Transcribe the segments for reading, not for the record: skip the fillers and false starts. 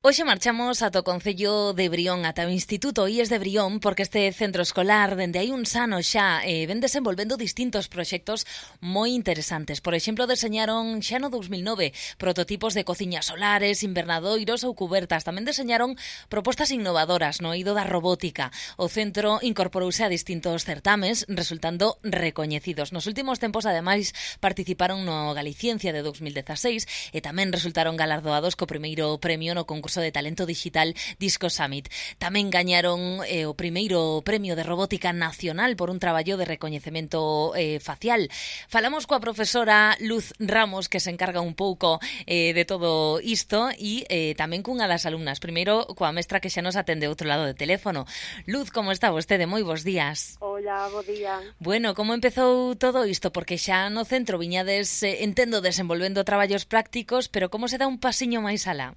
Hoxe marchamos ata o Concello de Brión, ata o Instituto IES de Brión, porque este centro escolar, dende hai uns anos xa, ven desenvolvendo distintos proxectos moi interesantes. Por exemplo, deseñaron xa no 2009 prototipos de cociñas solares, invernadoiros ou cubertas. Tamén deseñaron propostas innovadoras no eido da robótica. O centro incorporouse a distintos certames, resultando recoñecidos. Nos últimos tempos, ademais, participaron no Galiciencia de 2016 e tamén resultaron galardoados co primeiro premio no concurso de talento digital Disco Summit. Tamén gañaron o primeiro premio de robótica nacional por un traballo de recoñecemento facial. Falamos coa profesora Luz Ramos, que se encarga un pouco de todo isto, e tamén cunha das alumnas. Primeiro, coa mestra que xa nos atende outro lado de teléfono. Luz, como está vostede? Moi bons días. Hola, bo día. Bueno, como empezou todo isto? Porque xa no centro viñades, entendo, desenvolvendo traballos prácticos, pero como se dá un pasiño máis alá?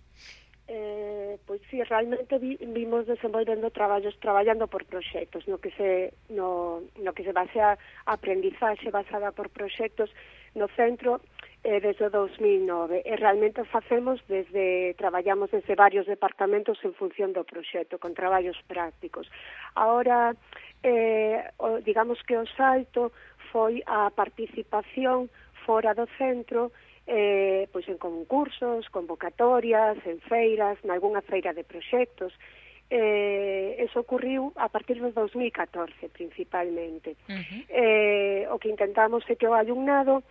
Pois sí, realmente vimos desenvolvendo traballando por proxectos, no que se basea a aprendizaxe basada por proxectos no centro desde o 2009. E realmente traballamos desde varios departamentos en función do proxecto, con traballos prácticos. Ahora, digamos que o salto foi a participación fora do centro, pois en concursos, convocatorias, en feiras, nalgúna feira de proxectos. Eso ocurriu a partir do 2014, principalmente. O que intentamos é que o alumnado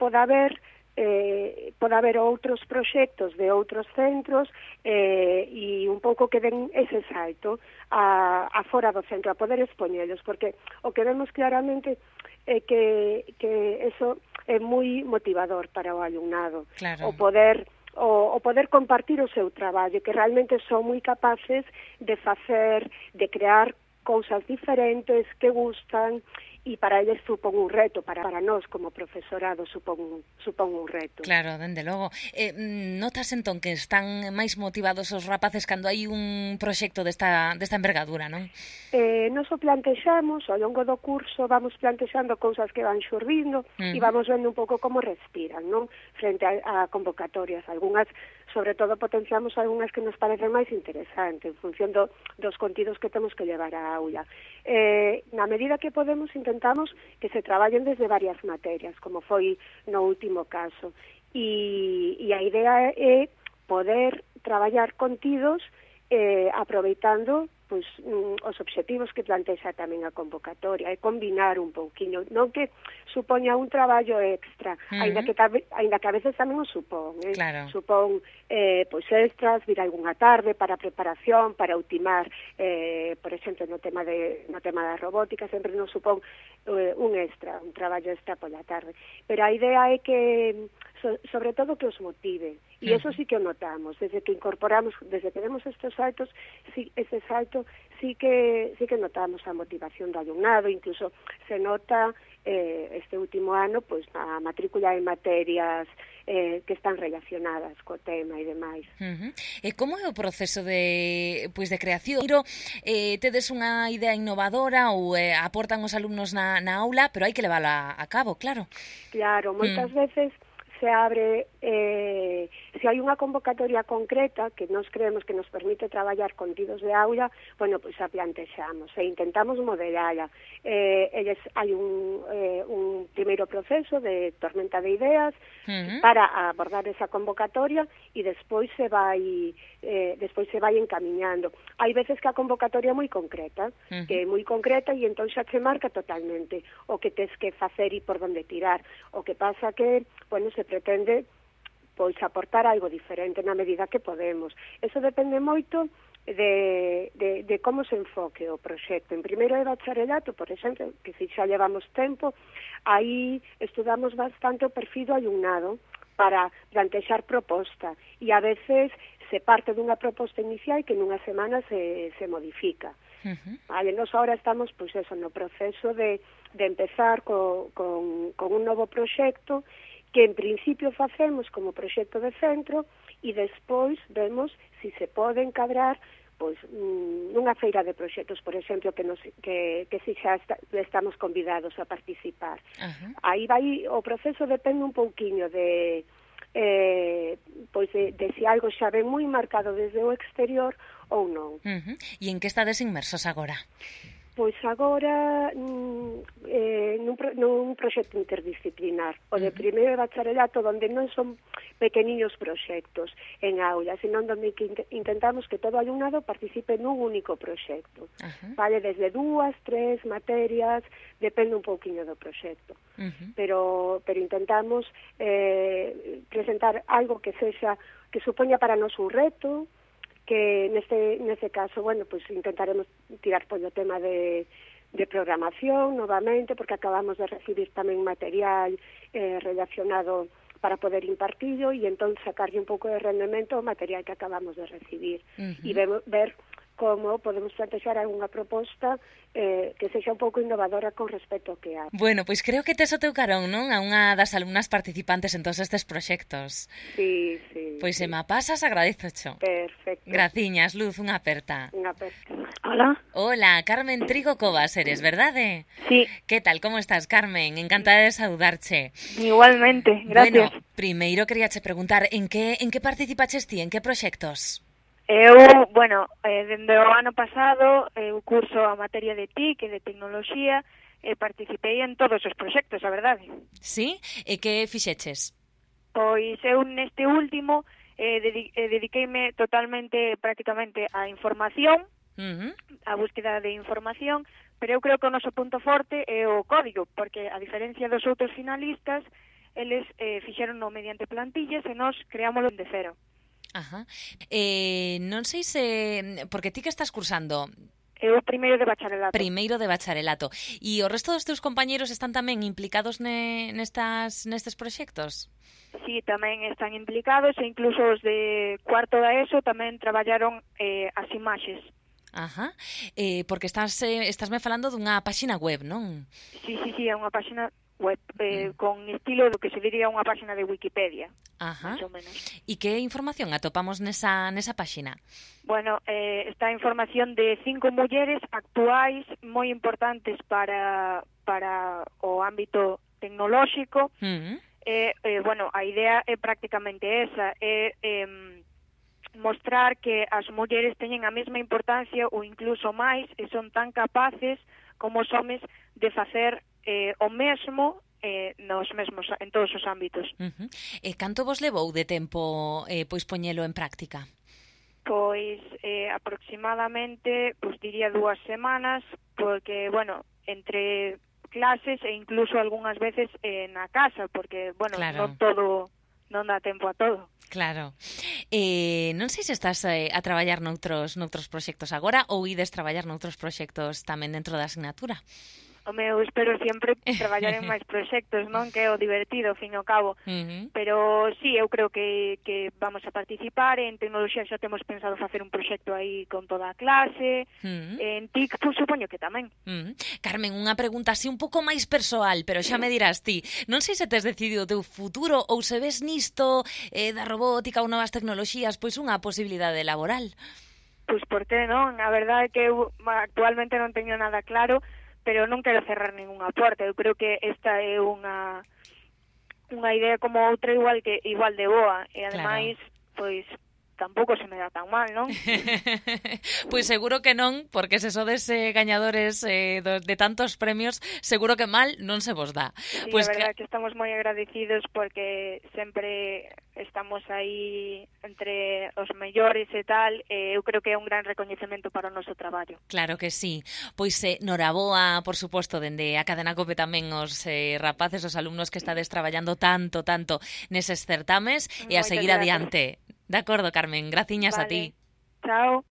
poda haber outros proxectos de outros centros e un pouco que den ese salto a fora do centro, a poder expoñelos, porque o que vemos claramente é que eso é moi motivador para o alumnado. Claro. O poder compartir o seu traballo, que realmente son moi capaces de crear cousas diferentes que gustan, e para eles supón un reto, para nós como profesorado supón un reto. Claro, dende logo. Notas entón que están máis motivados os rapaces cando hai un proxecto desta envergadura, non? Nos o plantexamos, ao longo do curso vamos plantexando cousas que van xurdindo e vamos vendo un pouco como respiran, non? Frente a convocatorias. Algunhas, sobre todo, potenciamos algunhas que nos parecen máis interesantes en función dos contidos que temos que levar á aula. Na medida que podemos, intentamos que se traballen desde varias materias, como foi no último caso. E a idea é poder traballar contidos aproveitando pois os obxectivos que plantexa tamén a convocatoria, e combinar un pouquiño, non que supoña un traballo extra, aínda que a veces tamén o supón, Claro. Supón pois extras, vir algunha tarde para preparación, para ultimar, por exemplo, no tema da robótica, sempre nos supón un extra, un traballo extra pola tarde. Pero a idea é que sobre todo que os motive, e eso sí que o notamos, desde que demos estes saltos, ese salto sí que notamos a motivación do alumnado, incluso se nota este último ano pois a matrícula en materias que están relacionadas co tema e demais. E como é o proceso de creación? Tedes unha idea innovadora ou aportan os alumnos na aula, pero hai que levala a cabo, claro. Claro, moitas veces se abre, se hai unha convocatoria concreta que nos creemos que nos permite traballar contidos de aula, bueno, pois a plantexamos e intentamos modelala. Hai un primeiro proceso de tormenta de ideas para abordar esa convocatoria e despois se vai encamiñando. Hai veces que a convocatoria é moi concreta, que é moi concreta e entón xa se marca totalmente o que tes que facer e por onde tirar. O que pasa que, bueno, se pretende pois aportar algo diferente na medida que podemos. Eso depende moito de como se enfoque o proxecto. En primeiro de bacharelato, por exemplo, que se xa levamos tempo, aí estudamos bastante o perfil do alumnado para plantexar proposta e a veces se parte dunha proposta inicial que nunha semana se modifica. Vale, nos agora estamos pois eso, no proceso de empezar con un novo proxecto que en principio facemos como proxecto de centro e despois vemos se se pode encadrar pois nunha feira de proxectos, por exemplo, que si xa estamos convidados a participar. Aí vai, o proceso depende un pouquiño de pois de se algo xa ven moi marcado desde o exterior ou non. E en que estades inmersos agora? Pois agora nun proxecto interdisciplinar, o de primeiro de bacharelato, onde non son pequeniños proxectos en aula, senón onde intentamos que todo alumnado participe nun único proxecto. Vale, desde 2, 3 materias, depende un pouquiño do proxecto. Pero intentamos presentar algo que supoña para nós un reto, que neste caso, bueno, pues intentaremos tirar polo tema de programación novamente, porque acabamos de recibir tamén material relacionado para poder impartillo e entón sacarlle un pouco de rendemento ao material que acabamos de recibir e ver como podemos plantexar algunha proposta que sexa un pouco innovadora con respecto ao que hai. Bueno, pois creo que tes o teu carón, non? A unha das alumnas participantes en todos estes proxectos. Sí. Pois se me pasas, agradezocho. Perfecto. Graciñas, Luz, unha aperta. Unha aperta. Hola. Hola, Carmen Trigo Covas eres, verdade? Sí. Que tal, como estás, Carmen? Encantada de saludarche. Igualmente, gracias. Bueno, primeiro queríache preguntar, en que participaches ti, en que proxectos? Eu, dende o ano pasado, eu curso a materia de TIC e de tecnoloxía e participei en todos os proxectos, a verdade. Sí? E que fixeches? Pois eu neste último dediqueime totalmente, prácticamente, á información, a búsqueda de información, pero eu creo que o noso punto forte é o código, porque a diferencia dos outros finalistas, eles fixeronno mediante plantillas e nós creámoslo de cero. Non sei se... Porque ti que estás cursando? Eu primeiro de bacharelato. Primeiro de bacharelato. E o resto dos teus compañeros están tamén implicados nestes proxectos? Sí, tamén están implicados e incluso os de cuarto da ESO tamén traballaron as imaxes. Porque estásme falando dunha páxina web, non? Sí, é unha páxina web con estilo do que se diría unha páxina de Wikipedia, máis ou menos. E que información atopamos nesa páxina? Bueno, está a información de 5 mulleres actuais moi importantes para o ámbito tecnolóxico. A idea é prácticamente esa, mostrar que as mulleres teñen a mesma importancia ou incluso máis e son tan capaces como os homes de facer o mesmo en todos os ámbitos. E canto vos levou de tempo pois poñelo en práctica? Pois aproximadamente, diría 2 semanas, porque, entre clases e incluso algunhas veces na casa, porque, claro, non dá tempo a todo. Claro. Non sei se estás a traballar noutros proxectos agora ou ides traballar noutros proxectos tamén dentro da asignatura? Eu espero sempre traballar en máis proxectos, non? Que é o divertido, ao fin e ao cabo. Pero sí, eu creo que vamos a participar. En tecnoloxía xa temos pensado facer un proxecto aí con toda a clase. En TIC, supoño que tamén. Carmen, unha pregunta así un pouco máis persoal, pero xa me dirás ti. Non sei se tes decidido o teu futuro ou se ves nisto da robótica ou novas tecnoloxías pois unha posibilidade laboral. Pois por que non? A verdade é que eu actualmente non teño nada claro, pero non quero cerrar ningunha porta. Eu creo que esta é unha idea como outra igual de boa. E ademais, pois tampouco se me dá tan mal, non? Pois seguro que non, porque se sodes gañadores de tantos premios, seguro que mal non se vos dá. Sí, a verdade que estamos moi agradecidos porque sempre estamos aí entre os mellores e tal, eu creo que é un gran recoñecemento para o noso traballo. Claro que sí. Pois noraboa, por suposto, dende a Cadena COPE tamén os rapaces, os alumnos que estades traballando tanto neses certames e a seguir adiante. De acordo, Carmen, graciñas a ti. Chao.